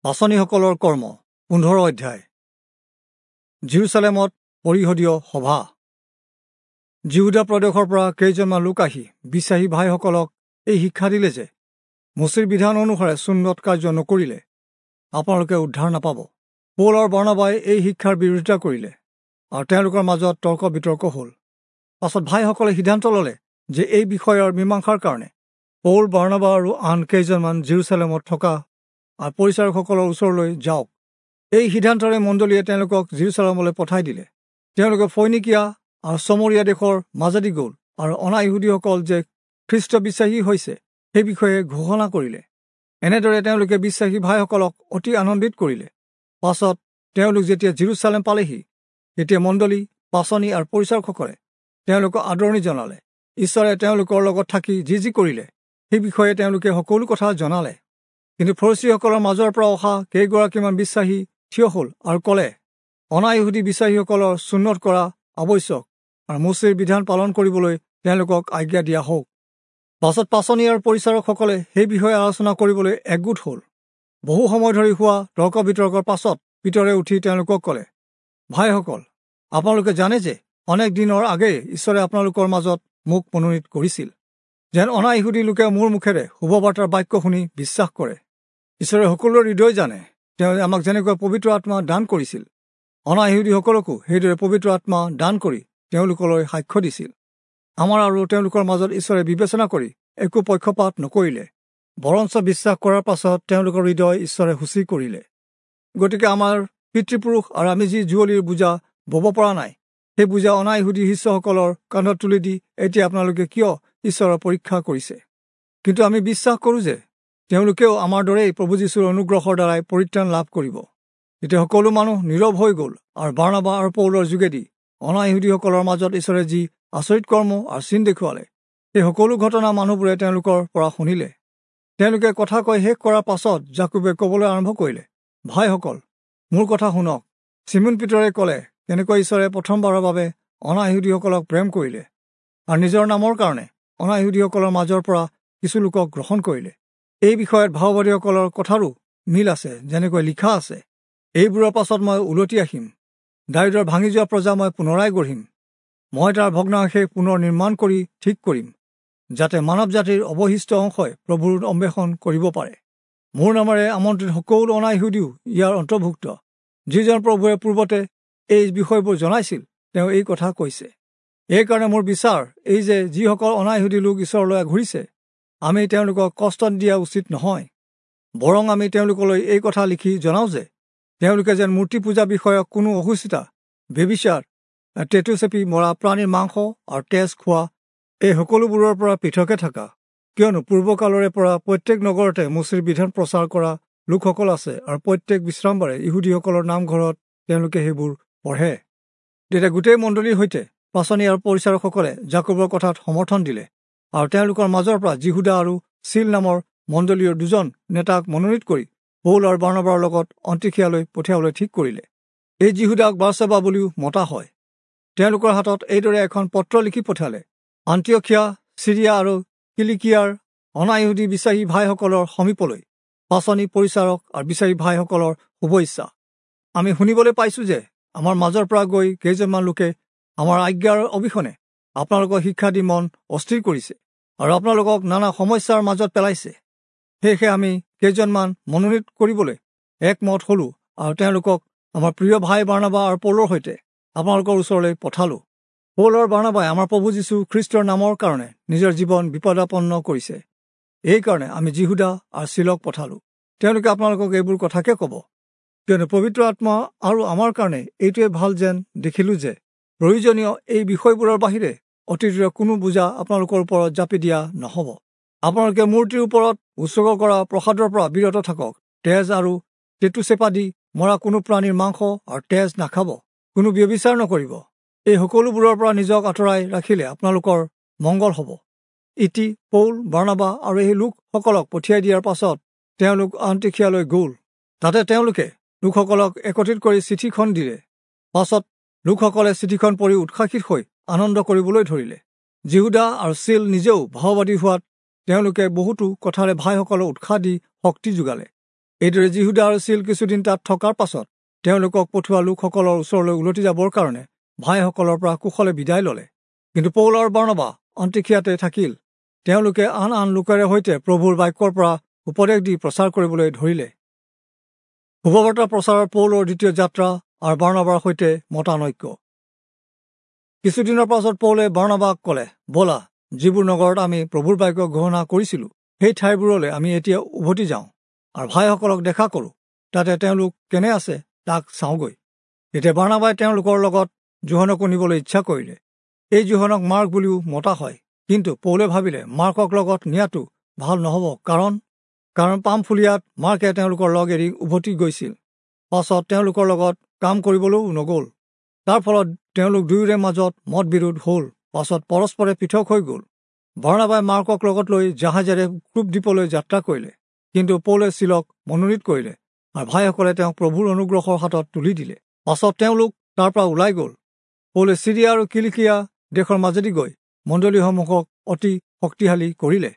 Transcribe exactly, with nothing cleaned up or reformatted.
পাঁচনিসকলৰ কৰ্ম পোন্ধৰ অধ্যায়। জিৰচালেমত পৰিষদীয় সভা। যিহূদা প্ৰদেশৰ পৰা কেইজনমান লোক আহি বিশ্বাসী ভাইসকলক এই শিক্ষা দিলে যে মোচিৰ বিধান অনুসাৰে চুন্নত কাৰ্য নকৰিলে আপোনালোকে উদ্ধাৰ নাপাব। পৌল আৰু বাৰ্ণাবাই এই শিক্ষাৰ বিৰোধিতা কৰিলে আৰু তেওঁলোকৰ মাজত তৰ্ক বিতৰ্ক হ'ল। পাছত ভাইসকলে সিদ্ধান্ত ল'লে যে এই বিষয়ৰ মীমাংসাৰ কাৰণে পৌল, বাৰ্ণাবা আৰু আন কেইজনমান জিৰচালেমত থকা আৰু পৰিচাৰকসকলৰ ওচৰলৈ যাওক। এই সিদ্ধান্তৰে মণ্ডলীয়ে তেওঁলোকক জিৰচালেমলৈ পঠাই দিলে। তেওঁলোকে ফৈনিকিয়া আৰু চমৰীয়া দেশৰ মাজেদি গ'ল আৰু অনা-ইহুদীসকল যে খ্ৰীষ্ট বিশ্বাসী হৈছে সেই বিষয়ে ঘোষণা কৰিলে। এনেদৰে তেওঁলোকে বিশ্বাসী ভাইসকলক অতি আনন্দিত কৰিলে। পাছত তেওঁলোক যেতিয়া জিৰচালেম পালেহি, তেতিয়া মণ্ডলী, পাঁচনি আৰু পৰিচাৰকসকলে তেওঁলোকক আদৰণি জনালে। ঈশ্বৰে তেওঁলোকৰ লগত থাকি যি যি কৰিলে সেই বিষয়ে তেওঁলোকে সকলো কথা জনালে। কিন্তু ফৰীচীসকলৰ মাজৰ পৰা অহা কেইগৰাকীমান বিশ্বাসী থিয় হ'ল আৰু ক'লে, অনা-ইহুদী বিশ্বাসীসকলৰ চুন্নত কৰা আৱশ্যক আৰু মোচিৰ বিধান পালন কৰিবলৈ তেওঁলোকক আজ্ঞা দিয়া হওক। পাছত পাঁচনি আৰু পৰিচাৰকসকলে সেই বিষয়ে আলোচনা কৰিবলৈ একগোট হ'ল। বহু সময় ধৰি হোৱা তৰ্ক বিতৰ্কৰ পাছত পিতৰে উঠি তেওঁলোকক ক'লে, ভাইসকল, আপোনালোকে জানে যে অনেক দিনৰ আগেয়ে ঈশ্বৰে আপোনালোকৰ মাজত মোক মনোনীত কৰিছিল, যেন অনা-ইহুদী লোকে মোৰ মুখেৰে শুভবাৰ্তাৰ বাক্য শুনি বিশ্বাস কৰে। ঈশ্বৰে সকলোৰে হৃদয় জানে। তেওঁ আমাক যেনেকৈ পবিত্ৰ আত্মা দান কৰিছিল, অনা-ইহুদীসকলকো সেইদৰে পবিত্ৰ আত্মা দান কৰি তেওঁলোকলৈ সাক্ষ্য দিছিল। আমাৰ আৰু তেওঁলোকৰ মাজত ঈশ্বৰে বিবেচনা কৰি একো পক্ষপাত নকৰিলে, বৰঞ্চ বিশ্বাস কৰাৰ পাছত তেওঁলোকৰ হৃদয় ঈশ্বৰে সূচী কৰিলে। গতিকে আমাৰ পিতৃপুৰুষ আৰু আমি যি জুৱলীৰ বোজা বব পৰা নাই, সেই বোজা অনা-ইহুদী শিষ্যসকলৰ কান্ধত তুলি দি এতিয়া আপোনালোকে কিয় ঈশ্বৰৰ পৰীক্ষা কৰিছে? কিন্তু আমি বিশ্বাস কৰোঁ যে তেওঁলোকেও আমাৰ দৰেই প্ৰভু যীশুৰ অনুগ্ৰহৰ দ্বাৰাই পৰিত্ৰাণ লাভ কৰিব। তেতিয়া সকলো মানুহ নীৰৱ হৈ গ'ল আৰু বাৰ্ণাবা আৰু পৌলৰ যোগেদি অনা-ইহুদীসকলৰ মাজত ঈশ্বৰে যি আচৰিত কৰ্ম আৰু চিন দেখুৱালে, সেই সকলো ঘটনা মানুহবোৰে তেওঁলোকৰ পৰা শুনিলে। তেওঁলোকে কথা কৈ শেষ কৰাৰ পাছত যাকোবে ক'বলৈ আৰম্ভ কৰিলে, ভাইসকল, মোৰ কথা শুনক। চিমোন পিতৰে ক'লে, কেনেকৈ ঈশ্বৰে প্ৰথমবাৰৰ বাবে অনা-ইহুদীসকলক প্ৰেম কৰিলে আৰু নিজৰ নামৰ কাৰণে অনা-ইহুদীসকলৰ মাজৰ পৰা কিছু লোকক গ্ৰহণ কৰিলে। এই বিষয়ত ভাওবাদীসকলৰ কথাৰো মিল আছে, যেনেকৈ লিখা আছে, এইবোৰৰ পাছত মই উলটি আহিম, দায়ূদৰ ভাঙি যোৱা প্ৰজা মই পুনৰাই গঢ়িম, মই তাৰ ভগ্নাৱশেষ পুনৰ নিৰ্মাণ কৰি ঠিক কৰিম, যাতে মানৱ জাতিৰ অৱশিষ্ট অংশই প্ৰভুৰ অন্বেষণ কৰিব পাৰে। মোৰ নামেৰে আমন্ত্ৰিত সকলো অনা-ইহুদীও ইয়াৰ অন্তৰ্ভুক্ত। যিজন প্ৰভুৱে পূৰ্বতে এই বিষয়বোৰ জনাইছিল, তেওঁ এই কথা কৈছে। এইকাৰণে মোৰ বিচাৰ এই যে যিসকল অনা-ইহুদী লোক ঈশ্বৰলৈ ঘূৰিছে, আমি তেওঁলোকক কষ্ট দিয়া উচিত নহয়, বৰং আমি তেওঁলোকলৈ এই কথা লিখি জনাওঁ যে তেওঁলোকে যেন মূৰ্তি পূজা বিষয়ক কোনো অসুচিতা, ব্যভিচাৰ, টেটু চেপি মৰা প্ৰাণীৰ মাংস আৰু তেজ খোৱা এই সকলোবোৰৰ পৰা পৃথকে থকা। কিয়নো পূৰ্বকালৰে পৰা প্ৰত্যেক নগৰতে মোচিৰ বিধান প্ৰচাৰ কৰা লোকসকল আছে আৰু প্ৰত্যেক বিশ্ৰামবাৰে ইহুদীসকলৰ নামঘৰত তেওঁলোকে সেইবোৰ পঢ়ে। তেতিয়া গোটেই মণ্ডলীৰ সৈতে পাঁচনি আৰু পৰিচাৰকসকলে যাকোবৰ কথাত সমৰ্থন দিলে আৰু তেওঁলোকৰ মাজৰ পৰা যিহূদা আৰু চীল নামৰ মণ্ডলীৰ দুজন নেতাক মনোনীত কৰি পৌল আৰু বাৰ্ণাবাৰ লগত অন্তিখিয়ালৈ পঠিয়াবলৈ ঠিক কৰিলে। এই যিহূদাক বাৰ্চাবা বুলিও মতা হয়। তেওঁলোকৰ হাতত এইদৰে এখন পত্ৰ লিখি পঠিয়ালে, আন্তিয়খিয়া, চিৰিয়া আৰু কিলিকিয়াৰ অনা-ইহুদী বিশ্বাসী ভাইসকলৰ সমীপলৈ পাঁচনি, পৰিচাৰক আৰু বিশ্বাসী ভাইসকলৰ শুভেচ্ছা। আমি শুনিবলৈ পাইছোঁ যে আমাৰ মাজৰ পৰা গৈ কেইজনমান লোকে আমাৰ আজ্ঞাৰ অবিহনে আপোনালোকক শিক্ষা দি মন অস্থিৰ কৰিছে আৰু আপোনালোকক নানা সমস্যাৰ মাজত পেলাইছে। সেয়েহে আমি কেইজনমান মনোনীত কৰিবলৈ একমত হ'লোঁ আৰু তেওঁলোকক আমাৰ প্ৰিয় ভাই বাৰ্ণাবা আৰু পৌলৰ সৈতে আপোনালোকৰ ওচৰলৈ পঠালোঁ। পৌল আৰু বাৰ্ণাবাই আমাৰ প্ৰভু যীশু খ্ৰীষ্টৰ নামৰ কাৰণে নিজৰ জীৱন বিপদাপন্ন কৰিছে। এইকাৰণে আমি যিহূদা আৰু চীলক পঠালোঁ। তেওঁলোকে আপোনালোকক এইবোৰ কথাকে ক'ব। কিয়নো পবিত্ৰ আত্মা আৰু আমাৰ কাৰণে এইটোৱে ভাল যেন দেখিলোঁ যে প্ৰয়োজনীয় এই বিষয়বোৰৰ বাহিৰে অতিৰিক্ত কোনো বোজা আপোনালোকৰ ওপৰত জাপি দিয়া নহ'ব। আপোনালোকে মূৰ্তিৰ ওপৰত উৎসৰ্গ কৰা প্ৰসাদৰ পৰা বিৰত থাকক। তেজ আৰু টেটু চেপা দি মৰা কোনো প্ৰাণীৰ মাংস আৰু তেজ নাখাব। কোনো ব্যভিচাৰ নকৰিব। এই সকলোবোৰৰ পৰা নিজক আঁতৰাই ৰাখিলে আপোনালোকৰ মংগল হ'ব। ইতি পৌল, বাৰ্ণাবা আৰু এই লোকসকলক পঠিয়াই দিয়াৰ পাছত তেওঁলোক আন্তিখিয়ালৈ গ'ল। তাতে তেওঁলোকে লোকসকলক একত্ৰিত কৰি চিঠিখন দিলে। পাছত লোকসকলে চিঠিখন পঢ়ি উৎসাহিত হৈ আনন্দ কৰিবলৈ ধৰিলে। যিহূদা আৰু চীল নিজেও ভাওবাদী হোৱাত তেওঁলোকে বহুতো কথাৰে ভাইসকলক উৎসাহ দি শক্তি যোগালে। এইদৰে যিহুদা আৰু চীল কিছুদিন তাত থকাৰ পাছত তেওঁলোকক পঠোৱা লোকসকলৰ ওচৰলৈ উলটি যাবৰ কাৰণে ভাইসকলৰ পৰা কুশলে বিদায় ললে। কিন্তু পৌল আৰু বাৰ্ণবা অন্তিখিয়াতে থাকিল। তেওঁলোকে আন আন লোকেৰে সৈতে প্ৰভুৰ বাক্যৰ পৰা উপদেশ দি প্ৰচাৰ কৰিবলৈ ধৰিলে। শুভবাৰ্তা প্ৰচাৰৰ পৌলৰ দ্বিতীয় যাত্ৰা আৰু বাৰ্ণবাৰ সৈতে মতানৈক্য। কিছুদিনৰ পাছত পৌলে বাৰ্ণবাক ক'লে, ব'লা, যিবোৰ নগৰত আমি প্ৰভুৰ বাক্য ঘোষণা কৰিছিলোঁ সেই ঠাইবোৰলৈ আমি এতিয়া উভতি যাওঁ আৰু ভাইসকলক দেখা কৰোঁ, তাতে তেওঁলোক কেনে আছে তাক চাওঁগৈ। তেতিয়া বাৰ্ণবাই তেওঁলোকৰ লগত যোহনকো নিবলৈ ইচ্ছা কৰিলে। এই যোহনক মাৰ্ক বুলিও মতা হয়। কিন্তু পৌলে ভাবিলে মাৰ্কক লগত নিয়াটো ভাল নহ'ব, কাৰণ কাৰণ পামফুলিয়াত মাৰ্কে তেওঁলোকৰ লগ এৰি উভতি গৈছিল, পাছত তেওঁলোকৰ লগত কাম কৰিবলৈও নগ'ল। তাৰ ফলত তেওঁলোক দুয়োৰে মাজত মতবিৰোধ হ'ল, পাছত পৰস্পৰে পৃথক হৈ গ'ল। বাৰ্ণবাই মাৰ্কক লগত লৈ জাহাজেৰে ক্ৰুপ দ্বীপলৈ যাত্ৰা কৰিলে, কিন্তু পৌলে চীলক মনোনীত কৰিলে আৰু ভাইসকলে তেওঁক প্ৰভুৰ অনুগ্ৰহৰ হাতত তুলি দিলে। পাছত তেওঁলোক তাৰ পৰা ওলাই গ'ল। পৌলে চিৰিয়া আৰু কিলিকিয়া দেশৰ মাজেদি গৈ মণ্ডলীসমূহক অতি শক্তিশালী কৰিলে।